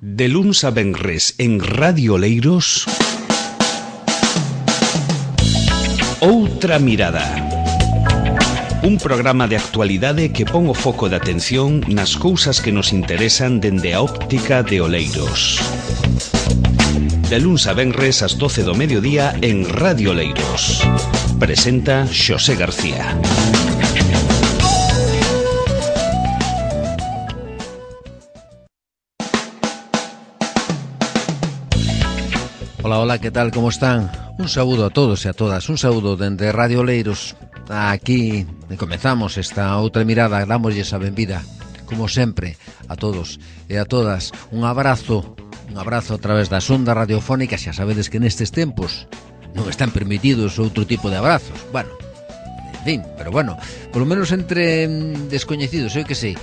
De luns a venres en Radio Oleiros, Outra Mirada. Un programa de actualidade que pon o foco de atención nas cousas que nos interesan dende a óptica de Oleiros. De luns a venres ás 12 do mediodía en Radio Oleiros. Presenta Xosé García. Hola, que tal, como están? Un saúdo a todos e a todas, un saúdo dende Radio Oleiros. Aquí comezamos esta outra mirada, dámoslles a benvida, como sempre, a todos e a todas. Un abrazo a través das ondas radiofónicas. Xa sabedes que nestes tempos non están permitidos outro tipo de abrazos. Bueno, en fin, pero bueno, polo menos entre descoñecidos, eu que sei,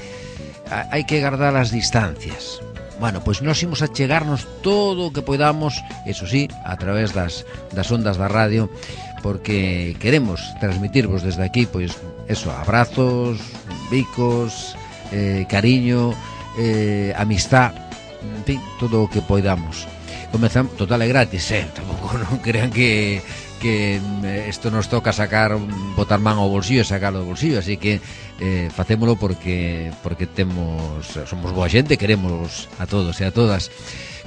hai que guardar as distancias. Bueno, pois nós imos a chegarnos todo o que podamos, eso sí, a través das ondas da radio, porque queremos transmitirvos desde aquí, pois, eso, abrazos, bicos, cariño, amistad, en fin, todo o que podamos. Comezamos, total é gratis, tampouco non crean que isto nos toca botar man ao bolsillo e sacarlo do bolsillo, así que facémolo porque somos boa xente, queremos a todos e a todas.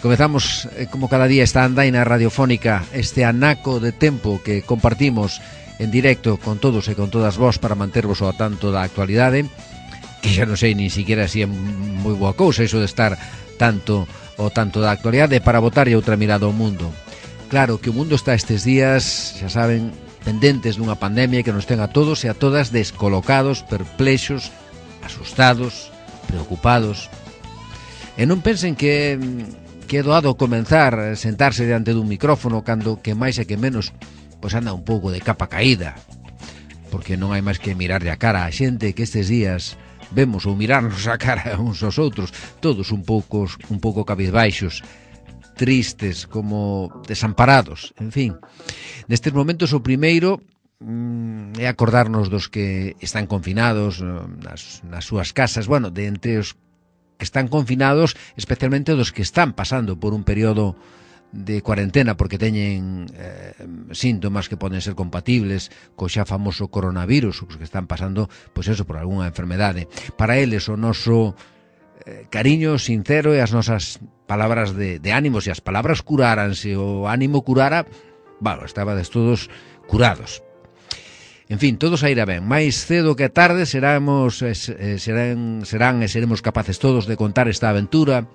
Comezamos como cada día esta andaina radiofónica, este anaco de tempo que compartimos en directo con todos e con todas vós para mantervos ao tanto da actualidade, que xa non sei nin siquiera si é moi boa cousa iso de estar tanto da actualidade, para botar outra mirada ao mundo. Claro que o mundo está estes días, xa saben, pendentes dunha pandemia que nos ten a todos e a todas descolocados, perplexos, asustados, preocupados. E non pensen que é doado comenzar a sentarse diante dun micrófono cando que máis e que menos pois anda un pouco de capa caída, porque non hai máis que mirarlle a cara a xente que estes días vemos ou mirarnos a cara uns aos outros, todos un pouco cabizbaixos, tristes, como desamparados, en fin. Nestes momentos o primeiro é acordarnos dos que están confinados nas súas casas, bueno, de entre os que están confinados, especialmente dos que están pasando por un período de cuarentena porque teñen síntomas que poden ser compatibles co xa famoso coronavirus, os que están pasando, pois eso, por algunha enfermedade. Para eles o noso cariño sincero e as nosas palabras de ánimos, e as palabras curáranse, o ánimo curara, bueno, estabades todos curados. En fin, todo sairá ben. Mais cedo que tarde serán e seremos capaces todos de contar esta aventura,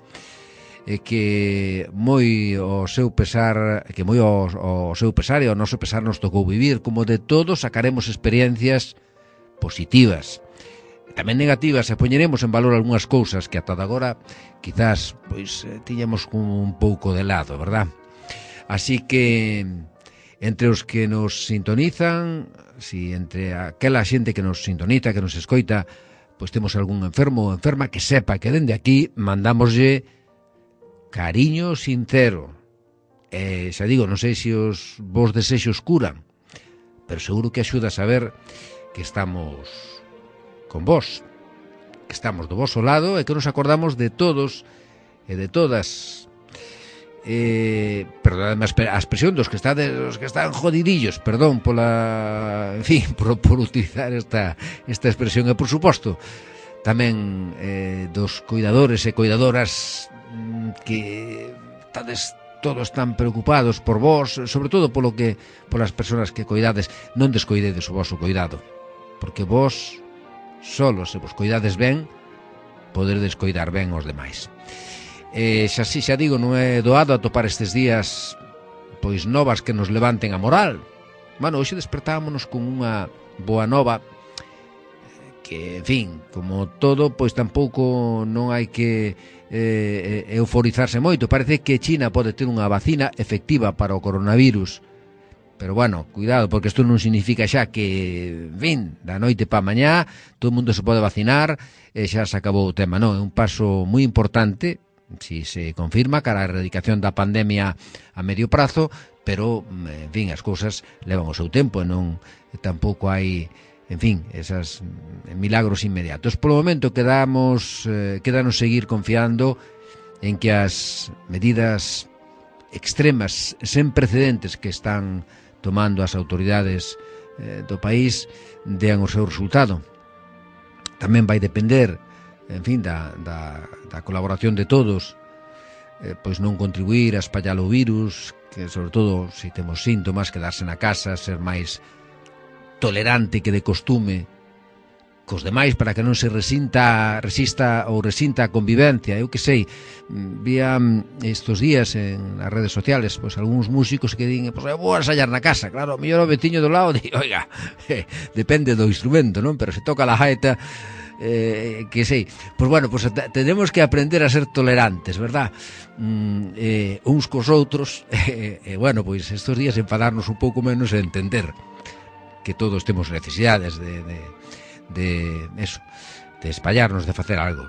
que moi ao seu pesar e ao noso pesar nos tocou vivir. Como de todo sacaremos experiencias positivas, tamén negativas, e poñeremos en valor algunhas cousas que ata agora quizás pois tiñamos como un pouco de lado, verdad? Así que entre os que nos sintonizan, si entre aquela xente que nos sintoniza, que nos escoita, pois temos algún enfermo ou enferma, que sepa que dende aquí mandamoslle cariño sincero. Xa digo, non sei se os vos desexos curan, pero seguro que axuda a saber que estamos con vos, que estamos do voso lado e que nos acordamos de todos e de todas. Perdón a expresión dos que están jodidillos, perdón pola, en fin, por utilizar esta expresión, e por suposto tamén dos cuidadores e cuidadoras que estades todos tan preocupados por vos, sobre todo polas persoas que coidades. Non descoidedes o voso cuidado, porque vos solo se vos coidades ben, poderedes coidar ben aos demais. Xa digo, non é doado atopar estes días pois novas que nos levanten a moral. Bueno, hoxe despertámonos con unha boa nova que, en fin, como todo, pois tampouco non hai que euforizarse moito. Parece que China pode ter unha vacina efectiva para o coronavirus, pero bueno, cuidado, porque isto non significa xa que, en fin, da noite pa mañá todo o mundo se pode vacinar e xa se acabou o tema. Non, é un paso moi importante, si se confirma, cara a erradicación da pandemia a medio prazo, pero, en fin, as cousas levan o seu tempo e non tampouco hai, en fin, esas milagros inmediatos. Polo momento quédanos seguir confiando en que as medidas extremas sen precedentes que están tomando as autoridades do país dean o seu resultado. Tamén vai depender, en fin, da colaboración de todos, pois non contribuir a espallar o virus, que sobre todo se temos síntomas, quedarse na casa, ser máis tolerante que de costume cos demais para que non se resista a convivencia. Eu que sei, vía estos días en as redes sociales pois algúns músicos que din, pois eu vou ensayar na casa. Claro, mellor o veciño do lado di, oiga, depende do instrumento, non? Pero se toca la gaita, que sei, pois bueno, pois tenemos que aprender a ser tolerantes, verdad? Uns cos outros, bueno, pois estos días enfadarnos un pouco menos e entender que todos temos necesidades de eso, de espallarnos, de facer algo.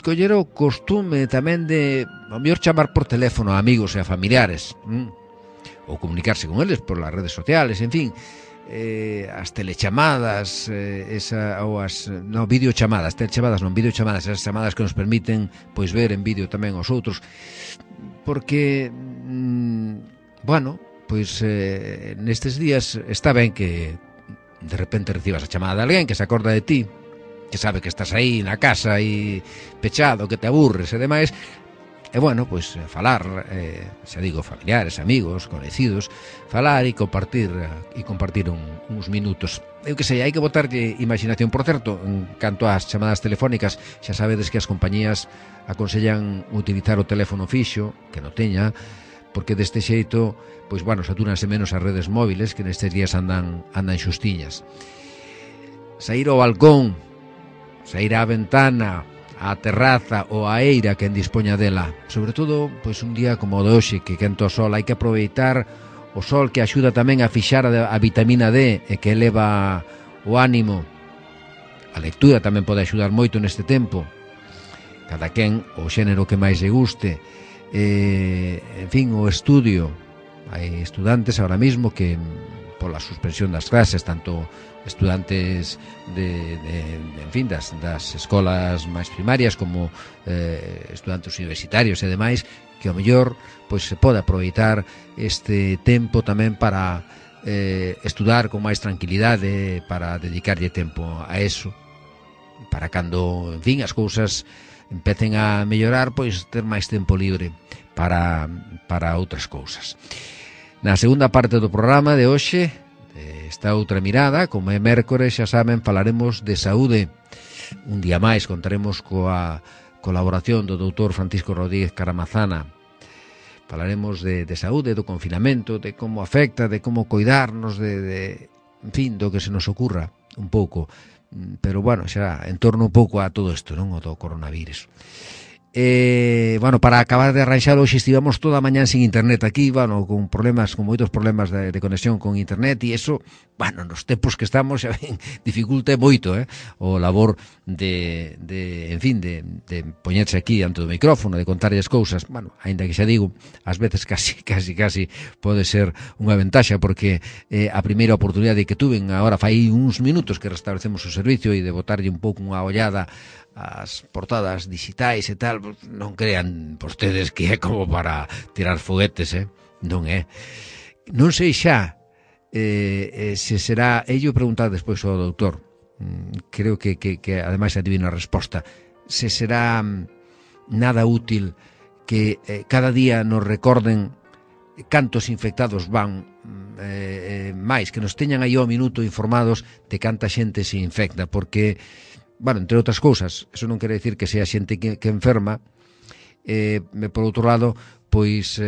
Coller o costume tamén de ao mellor chamar por teléfono a amigos e a familiares, ou comunicarse con eles por las redes sociales, en fin, as telechamadas, videochamadas, videochamadas, esas chamadas que nos permiten pois ver en vídeo tamén aos outros, porque bueno, pois nestes días está ben que de repente recibas a chamada de alguén que se acorda de ti, que sabe que estás aí na casa e pechado, que te aburres e demais, e bueno, pois falar, xa digo, familiares, amigos, conhecidos, falar e compartir uns minutos. Eu que sei, hai que botarlle imaginación. Por certo, en canto ás chamadas telefónicas, xa sabedes que as compañías aconsellan utilizar o teléfono fixo, que non teña, porque deste xeito, pois, bueno, satúranse menos as redes móviles que nestes días andan xustiñas. Saír ao balcón, saír á ventana, á terraza ou á eira quen dispoña dela. Sobre todo, pois, un día como o de hoxe, que quenta o sol, hai que aproveitar o sol, que axuda tamén a fixar a vitamina D e que eleva o ánimo. A lectura tamén pode axudar moito neste tempo. Cada quen o xénero que máis lle guste. En fin, o estudio. Hai estudantes ahora mismo que pola suspensión das clases, tanto estudantes en fin, das escolas máis primarias como estudantes universitarios e demais, que ao mellor pois se pode aproveitar este tempo tamén para estudar con máis tranquilidade, para dedicarlle tempo a eso, para cando, en fin, as cousas empecen a mellorar, pois ter máis tempo libre para outras cousas. Na segunda parte do programa de hoxe, esta outra mirada, como é mércores, xa saben, falaremos de saúde. Un día máis contaremos coa colaboración do doutor Francisco Rodríguez Caramazana. Falaremos de saúde, do confinamento, de como afecta, de como coidarnos, en fin, do que se nos ocurra un pouco. Pero, bueno, xa en torno un pouco a todo isto, non? O do coronavirus. Bueno, para acabar de arranxar, hoxe estivamos toda a mañán sin internet aquí, bueno, con moitos problemas de conexión con internet, e eso, bueno, nos tempos que estamos, xa ben, dificulta moito, o labor de poñerse aquí ante o micrófono, de contarlle as cousas. Bueno, aínda que xa digo, ás veces casi pode ser unha ventaxa, porque a primeira oportunidade que tuven, agora fai uns minutos que restablecemos o servicio, e de botarlle un pouco unha ollada as portadas digitais e tal, non crean vostedes que é como para tirar foguetes, non é. Non sei xa se será, ello preguntar despois ao doutor, creo que ademais adivino a resposta, se será nada útil que cada día nos recorden cantos infectados van máis, que nos teñan aí ao minuto informados de canta xente se infecta, porque, bueno, entre outras cousas, eso non quere decir que sea xente que enferma, por outro lado, pois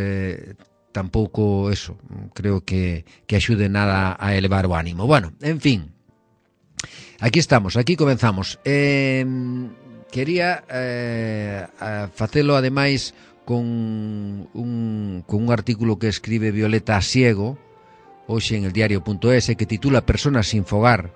tampouco eso, creo que axude nada a elevar o ánimo. Bueno, en fin, aquí estamos, aquí comenzamos. Quería facelo ademais con un artículo que escribe Violeta Asiego hoxe en el diario.es, que titula Personas sin fogar,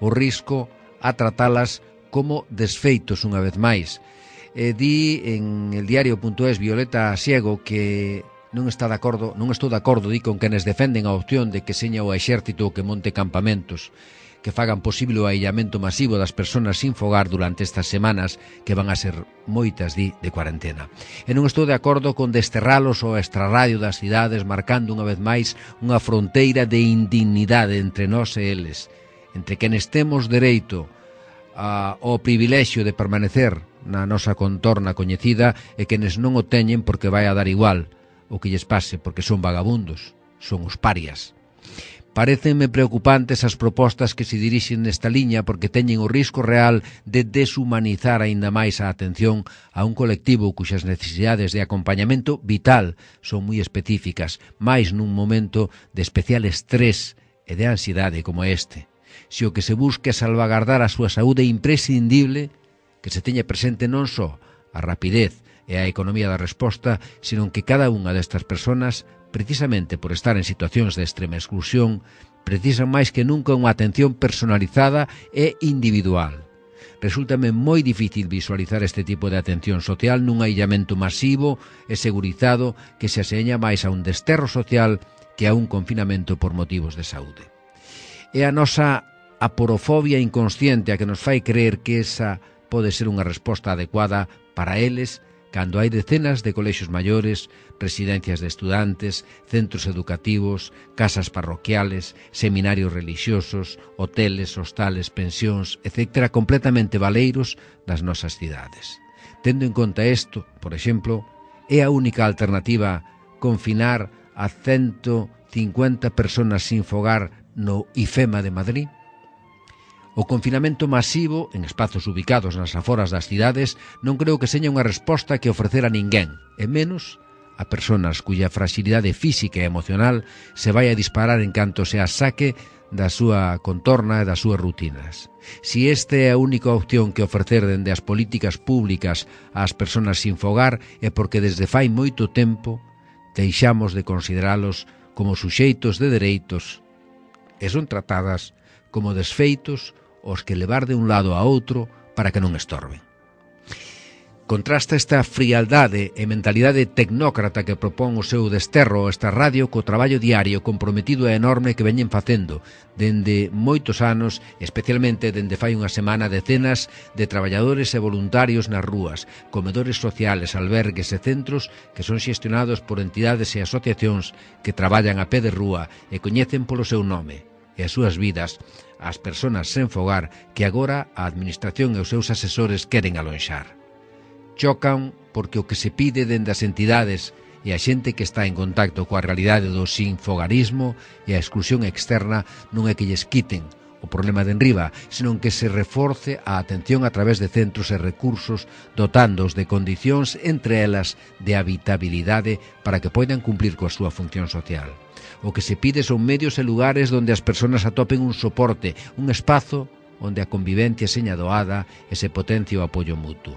o risco a tratalas como desfeitos unha vez máis. Di en el diario.es Violeta Asiego que non estou de acordo, di, con quenes defenden a opción de que seña o exército o que monte campamentos, que fagan posible o aillamento masivo das persoas sin fogar durante estas semanas que van a ser moitas de cuarentena. E non estou de acordo con desterralos ao extrarradio das cidades, marcando unha vez máis unha fronteira de indignidade entre nós e eles, entre quenes temos dereito ao privilexio de permanecer na nosa contorna coñecida e quenes non o teñen porque vai a dar igual o que lles pase, porque son vagabundos, son os parias. Parécenme preocupantes as propostas que se dirixen nesta liña porque teñen o risco real de deshumanizar aínda máis a atención a un colectivo cuxas necesidades de acompañamento vital son moi específicas, máis nun momento de especial estrés e de ansiedade como este. Se o que se busca é salvagardar a súa saúde imprescindible, que se teña presente non só a rapidez e a economía da resposta, senón que cada unha destas persoas, precisamente por estar en situacións de extrema exclusión, precisan máis que nunca unha atención personalizada e individual. Resúltame moi difícil visualizar este tipo de atención social nun aillamento masivo e segurizado que se aseña máis a un desterro social que a un confinamento por motivos de saúde. É a nosa aporofobia inconsciente a que nos fai creer que esa pode ser unha resposta adecuada para eles cando hai decenas de colexios maiores, residencias de estudantes, centros educativos, casas parroquiales, seminarios religiosos, hoteles, hostales, pensións, etc., completamente baleiros das nosas cidades. Tendo en conta isto, por exemplo, é a única alternativa confinar a 150 persoas sin fogar no IFEMA de Madrid? O confinamento masivo en espazos ubicados nas aforas das cidades non creo que seña unha resposta que ofrecer a ninguén, e menos a persoas cuya fragilidade física e emocional se vai a disparar en canto se a saque da súa contorna e das súas rutinas. Si esta é a única opción que ofrecer dende as políticas públicas ás persoas sin fogar é porque desde fai moito tempo deixamos de consideralos como suxeitos de dereitos e son tratadas como desfeitos os que levar de un lado a outro para que non estorben. Contrasta esta frialdade e mentalidade tecnócrata que propón o seu desterro esta radio co traballo diario comprometido e enorme que veñen facendo dende moitos anos, especialmente dende fai unha semana, decenas de traballadores e voluntarios nas rúas, comedores sociales, albergues e centros que son xestionados por entidades e asociacións que traballan a pé de rúa e coñecen polo seu nome e as súas vidas as persoas sen fogar que agora a Administración e os seus asesores queren alonxar. Chocan porque o que se pide dende as entidades e a xente que está en contacto coa realidade do sinfogarismo e a exclusión externa non é que lles quiten o problema de enriba, senón que se reforce a atención a través de centros e recursos dotándoos de condicións, entre elas de habitabilidade, para que poidan cumplir coa súa función social. O que se pide son medios e lugares onde as persoas atopen un soporte, un espazo onde a convivencia seña doada e se potencie o apoio mutuo.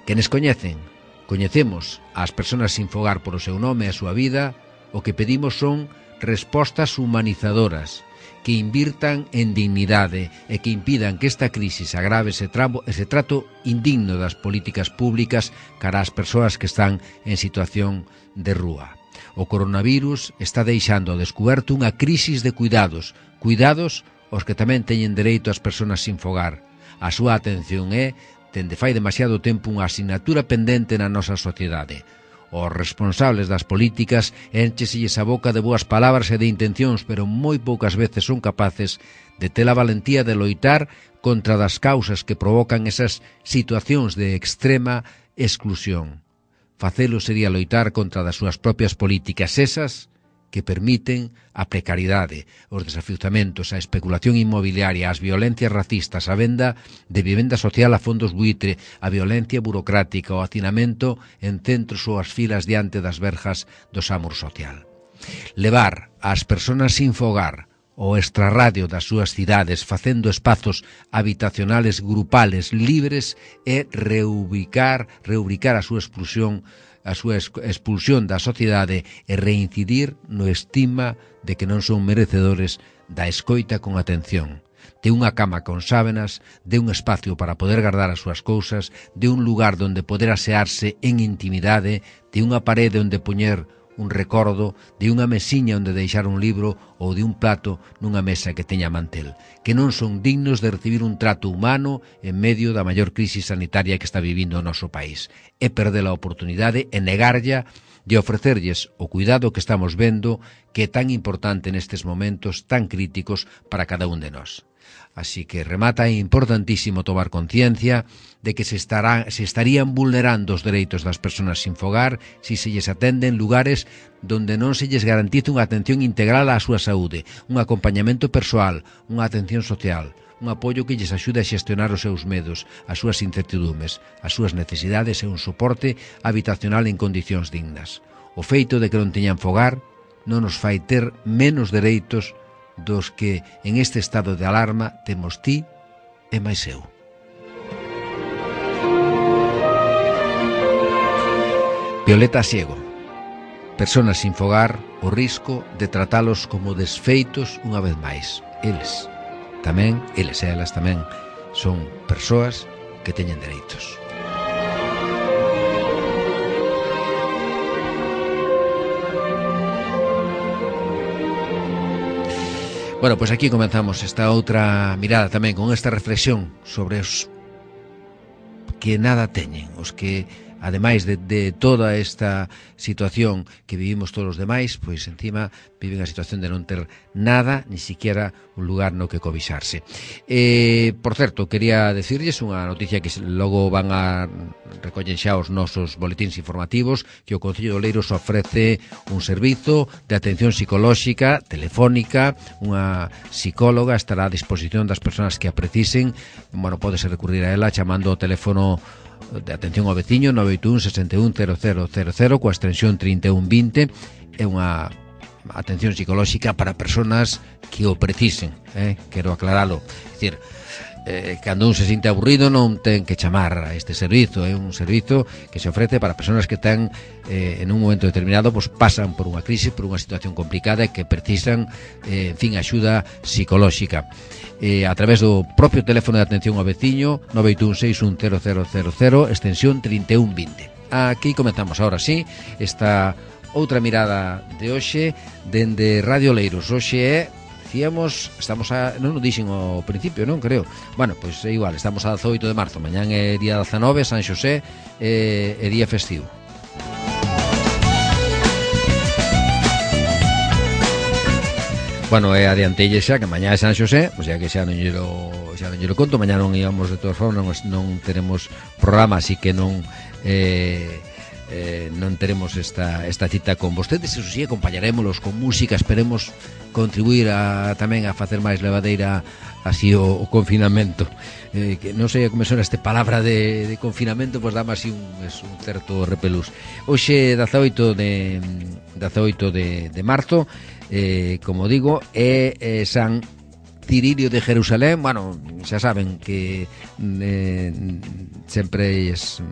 Quenes coñecen, coñecemos ás persoas sin fogar por o seu nome e a súa vida, o que pedimos son respostas humanizadoras, que invirtan en dignidade e que impidan que esta crisis agrave ese trato indigno das políticas públicas cara ás persoas que están en situación de rúa. O coronavirus está deixando ao descuberto unha crisis de cuidados aos que tamén teñen dereito as persoas sin fogar. A súa atención é, dende fai demasiado tempo, unha asignatura pendente na nosa sociedade. Os responsables das políticas éncheselles a boca de boas palabras e de intencións, pero moi poucas veces son capaces de ter a valentía de loitar contra das causas que provocan esas situacións de extrema exclusión. Facelo sería loitar contra das súas propias políticas, esas que permiten a precariedade, os desafiuzamentos, a especulación inmobiliaria, as violencias racistas, a venda de vivenda social a fondos buitre, a violencia burocrática, o hacinamento en centros ou as filas diante das verjas do SAMUR social. Levar ás persoas sin fogar o extrarradio das súas cidades facendo espazos habitacionales grupales libres e reubicar a súa expulsión da sociedade e reincidir no estima de que non son merecedores da escoita con atención, de unha cama con sábenas, de un espacio para poder guardar as súas cousas, de un lugar donde poder asearse en intimidade, de unha parede onde poñer un recordo de unha mesiña onde deixar un libro ou de un plato nunha mesa que teña mantel, que non son dignos de recibir un trato humano en medio da maior crisis sanitaria que está vivindo o noso país. É perder a oportunidade e negarlla de ofrecerlles o cuidado que estamos vendo, que é tan importante nestes momentos tan críticos para cada un de nós. Así que remata, é importantísimo tomar conciencia de que se estarían vulnerando os dereitos das persoas sin fogar se se lles atende en lugares donde non se lles garantiza unha atención integral á súa saúde, un acompañamento persoal, unha atención social, un apoio que lles axude a xestionar os seus medos, as súas incertidumes, as súas necesidades e un soporte habitacional en condicións dignas. O feito de que non teñan fogar non nos fai ter menos dereitos dos que en este estado de alarma temos ti e máis eu. Violeta Siego. Personas sin fogar, o risco de tratalos como desfeitos unha vez máis. Eles e elas tamén son persoas que teñen dereitos. Bueno, pois aquí comenzamos esta outra mirada tamén con esta reflexión sobre os que nada teñen, os que ademais de toda esta situación que vivimos todos os demais, pois encima viven a situación de non ter nada, ni siquiera un lugar no que cobixarse. Por certo, quería decirlles unha noticia que logo van a recollen xa os nosos boletíns informativos, que o Concello de Oleiros ofrece un servizo de atención psicolóxica telefónica, unha psicóloga estará a disposición das persoas que a precisen. Bueno, pódese recurrir a ela chamando o teléfono de atención ao veciño 981 61 0000 coa extensión 3120. É unha atención psicolóxica para persoas que o precisen, quero aclaralo. É dicir, cando un se sinte aburrido non ten que chamar a este servizo, é un servizo que se ofrece para persoas que ten en un momento determinado pues, pasan por unha crisis, por unha situación complicada e que precisan en fin, axuda psicolóxica. A través do propio teléfono de atención ao veciño 981610000 extensión 3120. Aquí comenzamos ahora sí esta outra mirada de hoxe dende Radio Oleiros. Hoxe é non o dixen ao principio, non creo. Bueno, pois é igual, estamos a 18 de marzo, mañán é día 19, San Xosé, é día festivo. Bueno, adiantelle xa que mañá é San Xosé, pois xa que xa non lle lo conto, mañá non íbamos de todas formas, non teremos programa, así que non teremos esta cita con vostedes. Eso sí, acompañarémolos con música, esperemos contribuir tamén a facer máis levadeira así o confinamento. Que non sei como sona esta palabra de confinamento, pois dame así un certo repelús. Hoxe 18 de marzo, como digo, é San Cirilio de Jerusalén. Bueno, xa saben que sempre os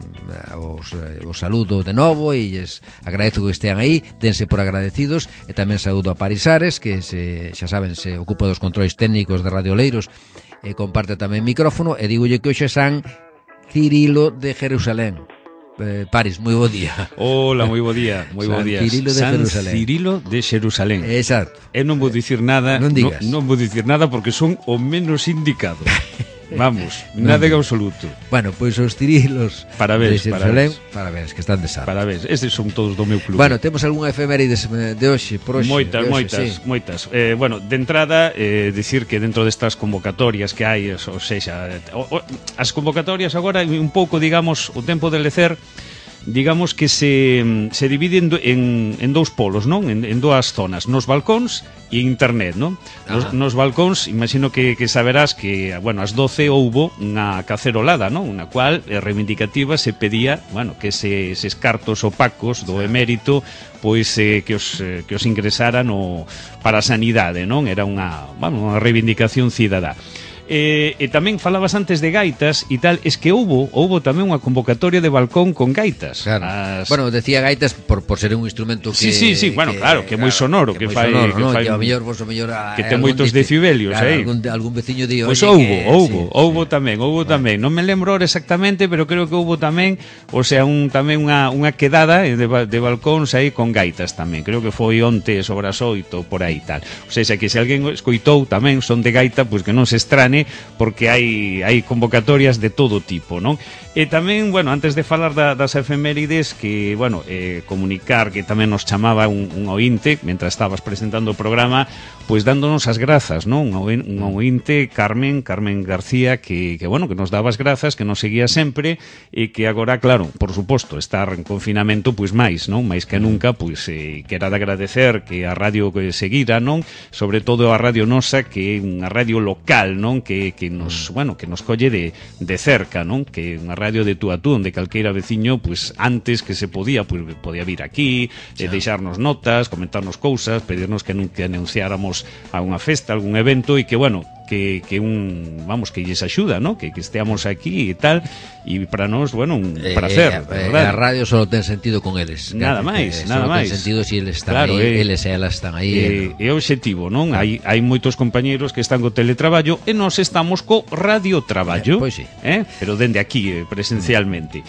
saludo de novo e lles agradezo que estean aí, dense por agradecidos, e tamén saúdo a Parisares, que xa saben, se ocupa dos controis técnicos de Radio Oleiros e comparte tamén micrófono, e digolle que hoxe é San Cirilo de Jerusalén. Paris, moi bo día. Hola, moi bo día, moi bo día. San Cirilo de Xerusalén. Exacto. Eu non vou dicir nada, non vou dicir nada porque son o menos indicado. Vamos, nada en absoluto. Bueno, pois os Cirilos de Xerusalén, parabéns, que están de santo. Parabéns, estes son todos do meu club. Bueno, temos algunha efemérides de hoxe, por hoxe? Moitas. Bueno, de entrada, dicir que dentro destas convocatorias que hai, ou sexa, as convocatorias agora un pouco, digamos, o tempo de lecer, digamos que se dividen en dous polos, non? En dúas zonas, nos balcóns e internet, non? Nos balcóns, imagino que saberás que, bueno, ás 12 houbo unha cacerolada, non? Unha cual reivindicativa se pedía, bueno, que eses cartos opacos do emérito, pois que os ingresaran para a sanidade, non? Era unha reivindicación cidadá. E tamén falabas antes de gaitas e tal, es que houbo tamén unha convocatoria de balcón con gaitas. Claro. Bueno, decía gaitas por ser un instrumento que... Sí, bueno, claro, que é moi sonoro, que fai... Que a mellor, que ten moitos decibelios, aí. Algún veciño di, pois houbo tamén. Non me lembro exactamente, pero creo que houbo tamén, o sea, tamén unha quedada de balcóns aí con gaitas tamén. Creo que foi onte sobre as 8 por aí tal. O sea, que se alguén escoitou tamén son de gaita, pois que non se estrane, porque hai convocatorias de todo tipo, non? E tamén, bueno, antes de falar das efemérides, que, bueno, comunicar que tamén nos chamaba un ointe, mentras estabas presentando o programa, pois dándonos as grazas, non? Un ointe, Carmen García, que bueno, que nos daba as grazas, que nos seguía sempre, e que agora, claro, por suposto, estar en confinamento, pois máis, non? Máis que nunca, pois, que era de agradecer que a radio que seguira, non? Sobre todo a Radio Nosa, que é unha radio local, non? Que nos, bueno, que nos colle de cerca, non? Que é unha radio de tú a tú, onde calqueira veciño, pois antes que se podía, pois podía vir aquí, deixarnos notas, comentarnos cousas, pedirnos que anunciáramos a unha festa, algún evento, e que, bueno, que lles axuda, ¿no? Que esteamos aquí e tal, e para nós, bueno, un placer, a radio só ten sentido con eles. Nada máis. Só ten sentido se eles están aí, eles e elas están aí. É o obxectivo, non? Hai moitos compañeros que están co teletraballo e nós estamos co radiotraballo, pois sí. Pero dende aquí, presencialmente.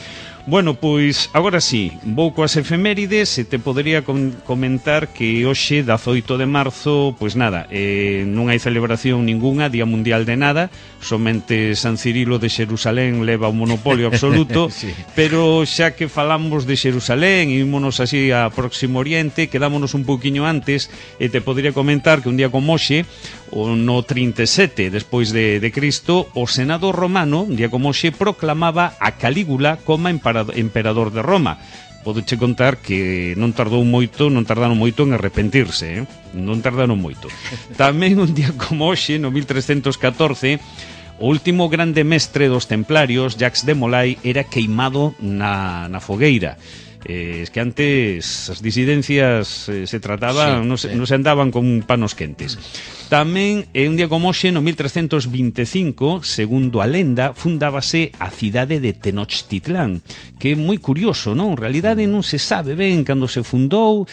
Bueno, pois, agora sí, vou coas efemérides e te podería comentar que hoxe, 18 de marzo, pois nada, non hai celebración ninguna, Día Mundial de nada, somente San Cirilo de Xerusalén leva o monopolio absoluto, sí. Pero xa que falamos de Xerusalén e ímonos así a Próximo Oriente, quedámonos un pouquiño antes, e te podería comentar que un día como hoxe, no 37 despois de Cristo, o Senado romano, un día como hoxe, proclamaba a Calígula como emperador de Roma. Podeche contar que non tardaron moito en arrepentirse, non tardaron moito. Tamén un día como hoxe, no 1314, o último grande mestre dos templarios, Jacques de Molay, era queimado na fogueira. Es que antes as disidencias se trataban, non se andaban con panos quentes. Tamén, un día como hoxe, no 1325, segundo a lenda, fundábase a cidade de Tenochtitlán, que é moi curioso, non? En realidade non se sabe ben cando se fundou,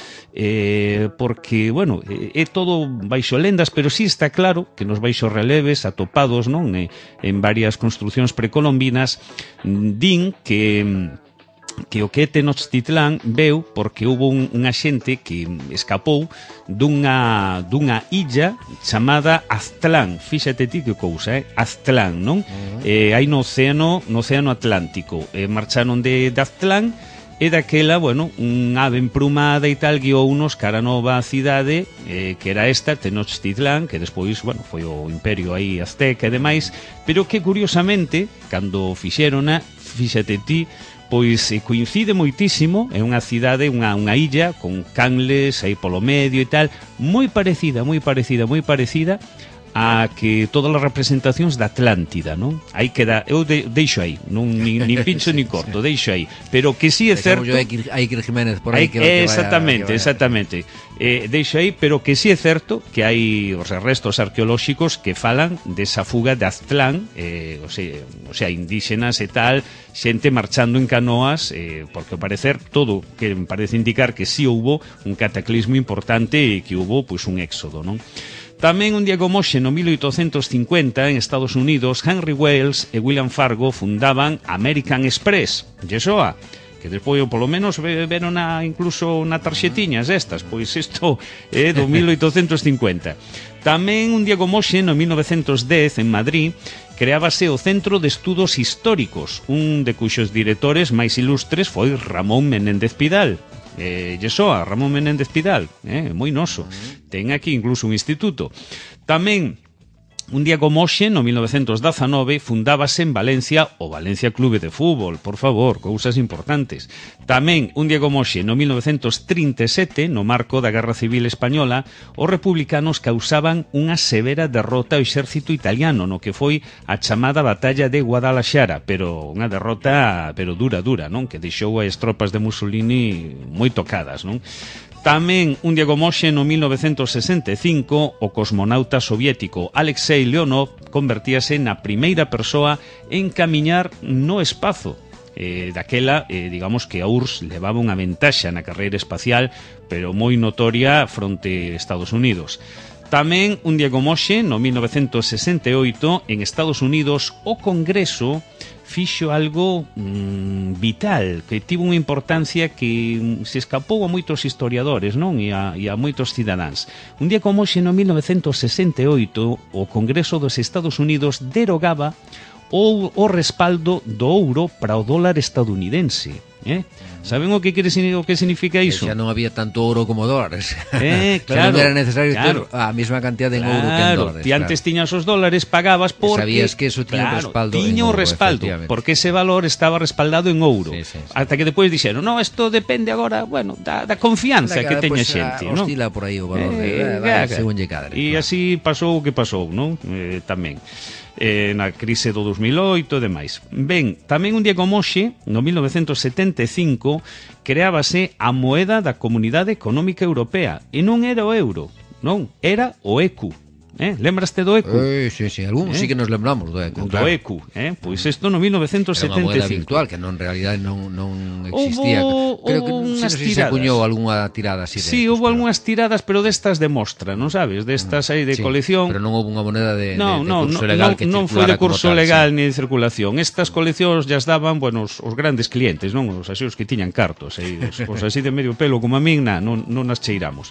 porque, bueno, é todo baixo lendas, pero sí está claro que nos baixos releves atopados, non? En varias construcións precolombinas, din que o que é Tenochtitlán veu porque houve unha xente que escapou dunha illa chamada Aztlán. Fíxate ti que cousa, Aztlán, non? Aí no océano Atlántico. Marcharon de Aztlán e daquela, bueno, un ave emplumada e tal guiou unos cara nova cidade, que era esta, Tenochtitlán, que despois, bueno, foi o imperio aí azteca e demais, pero que curiosamente, cando fixérona, fíxate ti, pois coincide moitísimo, é unha cidade, unha illa con canles aí polo medio e tal, moi parecida a que todas as representacións da Atlántida, non? Aí queda, eu deixo aí, non nin pincho ni corto, deixo aí, pero que si é certo. Hai Jiménez por aí que exactamente. Deixo aí, pero que si é certo que hai os restos arqueolóxicos que falan desa fuga de Aztlán, o sea, indígenas e tal, xente marchando en canoas, porque ao parecer todo que me parece indicar que si houbo un cataclismo importante e que houbo pois un éxodo, non? Tamén un día como hoxe, no 1850, en Estados Unidos, Henry Wells e William Fargo fundaban American Express, Yesoa, que despois, polo menos, veron incluso na tarxetiñas estas, pois isto é do 1850. Tamén un día como hoxe, no 1910, en Madrid, creábase o Centro de Estudos Históricos, un de cuxos directores máis ilustres foi Ramón Menéndez Pidal. Yesoa, Ramón Menéndez Pidal, moi noso. Ten aquí incluso un instituto. Tamén, un día como hoxe, no 1919, fundábase en Valencia o Valencia Clube de Fútbol, por favor, cousas importantes. Tamén, un día como hoxe, no 1937, no marco da Guerra Civil Española, os republicanos causaban unha severa derrota ao exército italiano, no que foi a chamada Batalla de Guadalaxara, pero unha derrota dura, non? Que deixou as tropas de Mussolini moi tocadas, non? Tamén un día como hoxe, no 1965, o cosmonauta soviético Alexei Leonov convertíase na primeira persoa en camiñar no espazo. Daquela, digamos que a URSS levaba unha ventaxa na carreira espacial, pero moi notoria fronte a Estados Unidos. Tamén un día como hoxe, no 1968, en Estados Unidos, o Congreso fixo algo vital, que tivo unha importancia que se escapou a moitos historiadores, non? E a moitos cidadáns. Un día como hoxe, no 1968, o Congreso dos Estados Unidos derogaba o respaldo do ouro para o dólar estadounidense. Saben o que significa iso? Que xa non había tanto ouro como dólares. Claro, non era necesario ter a mesma cantidad de ouro que en dólares. Ti antes tiñas os dólares, pagabas porque... Sabías que eso tiña respaldo en ouro, respaldo, porque ese valor estaba respaldado en ouro. Sí. Hasta que depois dixeron, no, isto depende agora, bueno, da confianza que teña xente, non? Oscila por aí o valor, según lle cadre. E así pasou o que pasou, non? Tamén. Na crise do 2008 e demais. Ben, tamén un día como hoxe, no 1975, creábase a moeda da Comunidade Económica Europea, e non era o euro, non, era o ECU. Lembraste do ECU? Sí, algúns sí que nos lembramos do ECU. Do ECU, pois isto no 1975. Era unha moeda virtual que non, en realidad non existía. Creo que se acuñou algunha tirada así. Sí, houve algunhas tiradas, pero destas de mostra, non sabes? Destas aí de colección. Pero non houve unha moneda de curso legal que circulara. Non foi de curso legal ni de circulación. Estas coleccións ya daban, bueno, os grandes clientes, non? Os que tiñan cartos, os así de medio pelo como a min, non nas cheiramos.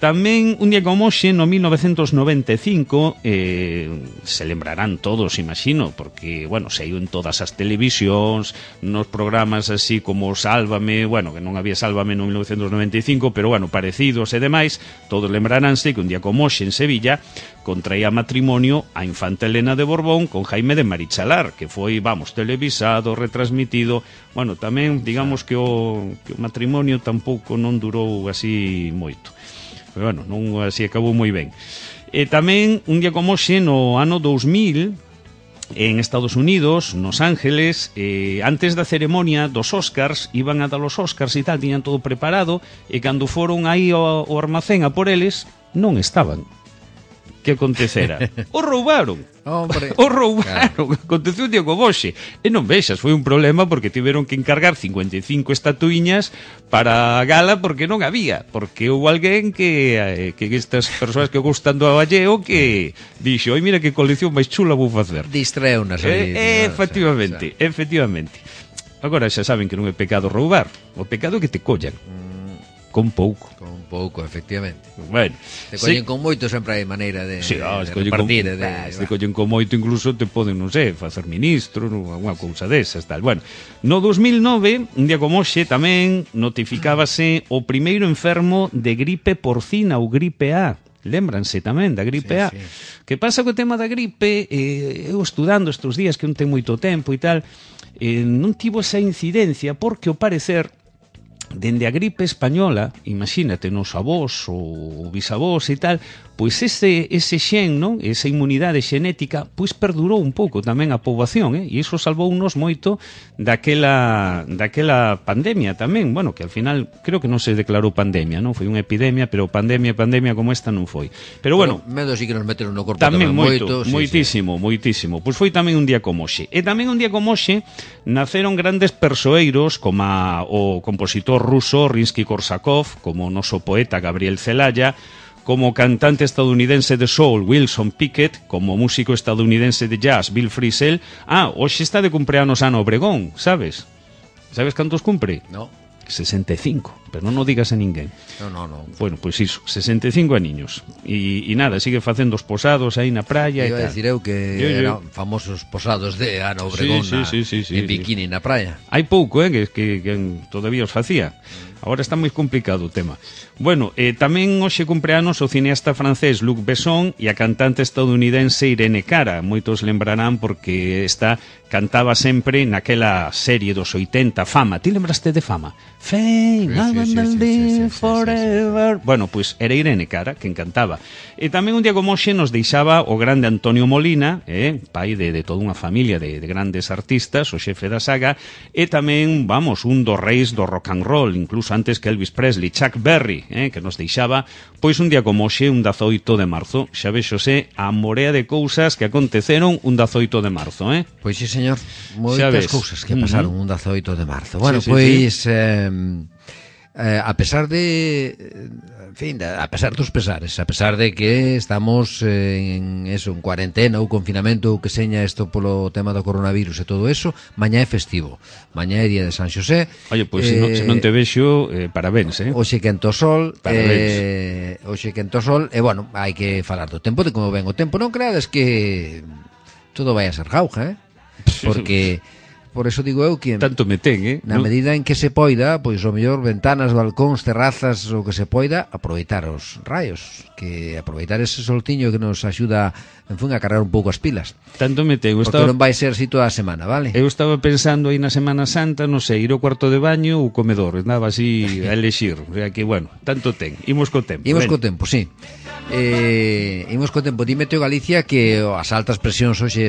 Tamén, un día como hoxe, no 1995, se lembrarán todos, imagino, porque, bueno, saiu en todas as televisións, nos programas así como Sálvame, bueno, que non había Sálvame no 1995, pero, bueno, parecidos e demais, todos lembraránse que un día como hoxe en Sevilla contraía matrimonio a infanta Elena de Borbón con Jaime de Marichalar, que foi, vamos, televisado, retransmitido, bueno, tamén, digamos que o matrimonio tampouco non durou así moito. Pero bueno, non así acabou moi ben. E tamén, un día como hoxe, no ano 2000, en Estados Unidos, nos Ángeles, antes da ceremonia dos Oscars, iban a dar os Oscars e tal, tiñan todo preparado, e cando foron aí ao armacén a por eles, non estaban. Que acontecera? O roubaron. Hombre. O roubaron. Aconteceu un día como hoxe. E non vexas, foi un problema porque tiveron que encargar 55 estatuiñas para a gala porque non había. Porque houve alguén que estas persoas que gustan do aballeo que dixo, oi, mira que colección máis chula vou facer. Distreunas aí. Efectivamente. Agora xa saben que non é pecado roubar. O pecado é que te collan. Con pouco, efectivamente. Bueno, te collen con moito, sempre hai maneira de repartir. Se collen con moito, incluso te poden, non sei, facer ministro, unha cousa desas, tal. Bueno, no 2009, un día como hoxe, tamén notificábase o primeiro enfermo de gripe porcina ou gripe A. Lémbranse tamén da gripe A. Que pasa co tema da gripe? Eu estudando estes días que non ten moito tempo e tal, non tivo esa incidencia porque, ao parecer, dende a gripe española, imagínate, nos avós ou bisavós e tal, pois ese xen, non? Esa inmunidade xenética, pois perdurou un pouco tamén a poboación, e iso salvounos moito daquela pandemia tamén, bueno, que al final creo que non se declarou pandemia, non? Foi unha epidemia, pero pandemia como esta non foi. Pero bueno, medo sí que nos meteron no corpo tamén moitísimo. Pois foi tamén un día como hoxe. E tamén un día como hoxe naceron grandes persoeiros como o compositor ruso Rimsky-Korsakov, como o noso poeta Gabriel Celaya, como cantante estadounidense de soul Wilson Pickett, como músico estadounidense de jazz Bill Frisell. Hoxe está de cumpleanos Ana Obregón, sabes? Sabes cantos cumpre? No. 65, pero non o digas a ninguén. No. Bueno, pois iso, 65 aniños. E nada, sigue facendo os posados aí na praia e tal. Iba a decir eu que eran famosos posados de Ana Obregón en bikini na praia. Hai pouco, que todavía os facía. Agora está moi complicado o tema. Bueno, tamén hoxe cumpleanos o cineasta francés Luc Besson e a cantante estadounidense Irene Cara. Moitos lembrarán porque está cantaba sempre naquela serie dos 80, Fama. Ti lembraste de Fama? Fame, I wanna live forever. Bueno, pois era Irene Cara quen cantaba. E tamén un día como hoxe nos deixaba o grande Antonio Molina, pai de toda unha familia de grandes artistas, o xefe da saga, e tamén, vamos, un dos reis do rock and roll, incluso antes que Elvis Presley, Chuck Berry, que nos deixaba, pois un día como hoxe, un 18 de marzo. Xa vexose a morea de cousas que aconteceron un 18 de marzo, Pois sí, señor, moitas cousas que pasaron un 18 de marzo. Bueno, sí, pois a pesar de, en fin, a pesar dos pesares, a pesar de que estamos en cuarentena ou confinamento ou que seña isto polo tema do coronavirus e todo eso, mañá é festivo, mañá é día de San Xosé. Oye, pois se non te vexo, parabéns, Hoxe quento sol, parabéns. Hoxe quento sol, e bueno, hai que falar do tempo, de como ven o tempo. Non creades que todo vai a ser jauja, porque por eso digo eu que tanto me ten, na medida en que se poida, pois o mellor ventanas, balcóns, terrazas, o que se poida, aproveitar os raios, que aproveitar ese soltiño que nos axuda, en fin, a cargar un pouco as pilas. Tanto me ten, porque non vai ser así toda a semana, vale? Eu estaba pensando aí na Semana Santa, non sei, ir ao cuarto de baño ou comedor, andaba así a elexir, o sea que, bueno, tanto ten. Imos co tempo. Imos co tempo, sí. Imos co tempo. Dime, Teo Galicia, que as altas presións hoxe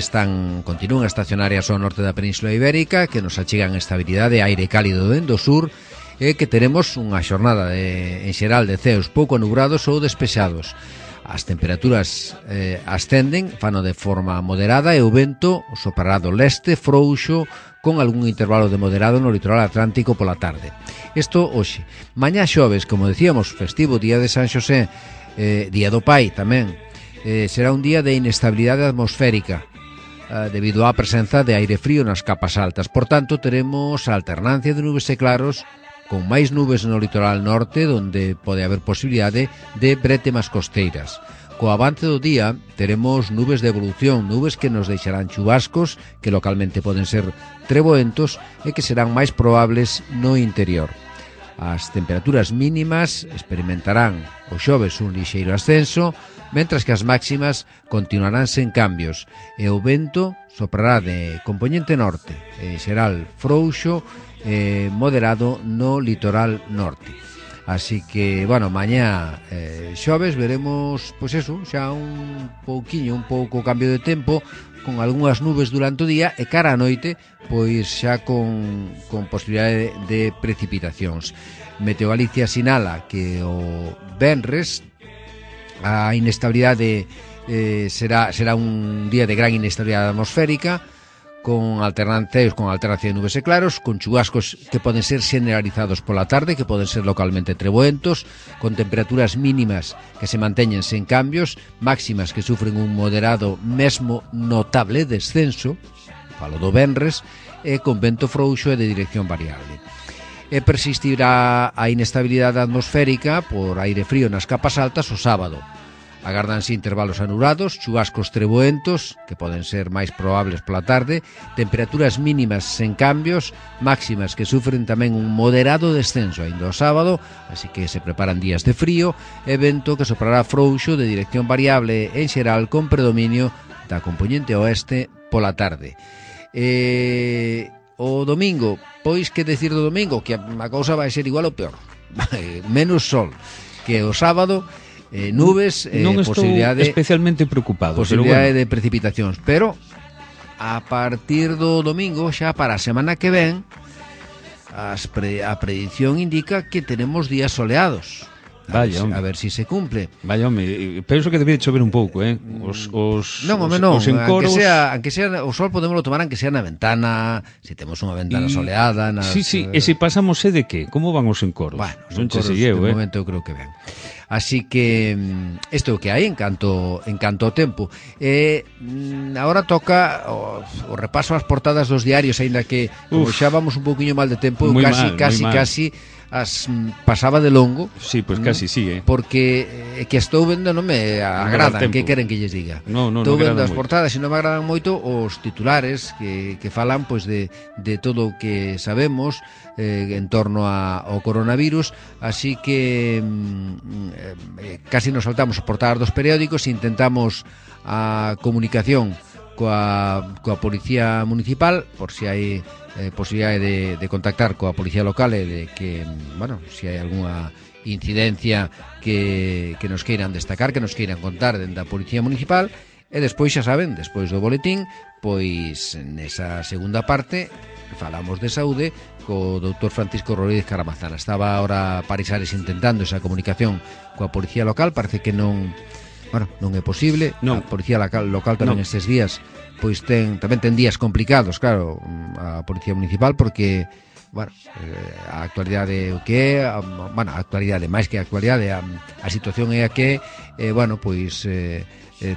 continúan estacionarias ao norte da Península Ibérica, que nos achegan estabilidade, aire cálido dentro do sur, e que teremos unha xornada en xeral de ceos pouco nubrados ou despexados. As temperaturas ascenden, fano de forma moderada, e o vento soprará do leste frouxo con algún intervalo de moderado no litoral atlántico pola tarde. Isto hoxe. Mañá xoves, como decíamos, festivo, día de San Xosé, día do Pai tamén, será un día de inestabilidade atmosférica debido á presenza de aire frío nas capas altas. Por tanto, teremos a alternancia de nubes e claros, con máis nubes no litoral norte, onde pode haber posibilidade de brétemas costeiras. Co avance do día teremos nubes de evolución, nubes que nos deixarán chubascos que localmente poden ser treboentos e que serán máis probables no interior. As temperaturas mínimas experimentarán o xoves un lixeiro ascenso, mentras que as máximas continuarán sen cambios, e o vento soprará de compoñente norte, xeral frouxo, moderado no litoral norte. Así que, bueno, mañá xoves veremos, pois eso, xa un pouco cambio de tempo, con algunhas nubes durante o día, e cara a noite, pois xa con posibilidade de precipitacións. Meteo Galicia sinala que o venres a inestabilidade será un día de gran inestabilidade atmosférica, con alternancia de nubes e claros, con chubascos que poden ser generalizados pola tarde, que poden ser localmente treboentos, con temperaturas mínimas que se manteñen sen cambios, máximas que sufren un moderado, mesmo notable descenso, falo do venres, e con vento frouxo e de dirección variable. E persistirá a inestabilidade atmosférica por aire frío nas capas altas o sábado. Agárdanse intervalos anulados, chubascos treboentos, que poden ser máis probables pola tarde, temperaturas mínimas sen cambios, máximas que sufren tamén un moderado descenso ainda o sábado, así que se preparan días de frío, e vento que soprará frouxo de dirección variable en xeral con predominio da compoñente oeste pola tarde. O domingo, pois que decir do domingo? Que a cousa vai ser igual ou peor. Menos sol que o sábado, nubes, non estou especialmente preocupado, posibilidade de precipitacións, pero a partir do domingo, xa para a semana que ven, a predición indica que tenemos días soleados. A ver si se cumple. Vaya, home, penso que debe chover un pouco, os encoros... Aunque sea o sol podémoslo tomar aunque sea na ventana, se temos unha ventana soleada. Sí, e se pasamos de que? Como van os encoros? Bueno, os encoros, de momento eu creo que ven. Así que isto é o que hai en canto ao tempo. Agora toca o repaso ás portadas dos diarios, aínda que como xa vamos un pouquiño mal de tempo, casi as pasaba de longo. Sí, pois casi sí, porque que estou vendo non me agradan, que queren que lles diga. Estou vendo as portadas e non me agradan moito os titulares que falan pois de todo o que sabemos en torno ao coronavirus, así que casi nos saltamos as portadas dos periódicos e intentamos a comunicación coa Policía Municipal, por si hai posibilidade de contactar coa Policía Local e de que, bueno, se hai algunha incidencia que nos queiran destacar, que nos queiran contar dentro da Policía Municipal. E despois, xa saben, despois do boletín, pois nesa segunda parte falamos de saúde co doutor Francisco Rodríguez Caramazana. Estaba ahora Parisares intentando esa comunicación coa Policía Local, parece que non é posible. Non. A Policía Local tamén estes días pois tamén ten días complicados, claro, a Policía Municipal, porque a actualidade o que é, a actualidade, máis que a actualidade, a situación é a que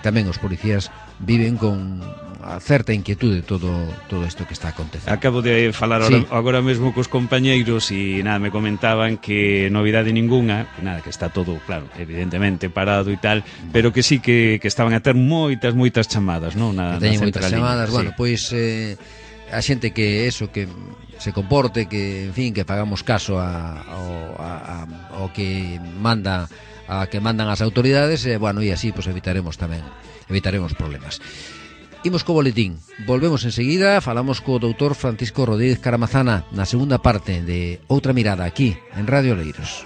tamén os policías viven con a certa inquietude todo isto que está acontecendo. Acabo de falar agora mesmo cos compañeiros e me comentaban que novidade ninguna, que está todo, claro, evidentemente parado e tal, pero que sí que estaban a ter moitas chamadas, non? Teñen moitas chamadas, a xente que se comporte, que, en fin, que pagamos caso ao que mandan as autoridades, e así evitaremos problemas. Imos co boletín, volvemos enseguida, falamos co doutor Francisco Rodríguez Caramazana na segunda parte de Outra Mirada, aquí en Radio Oleiros.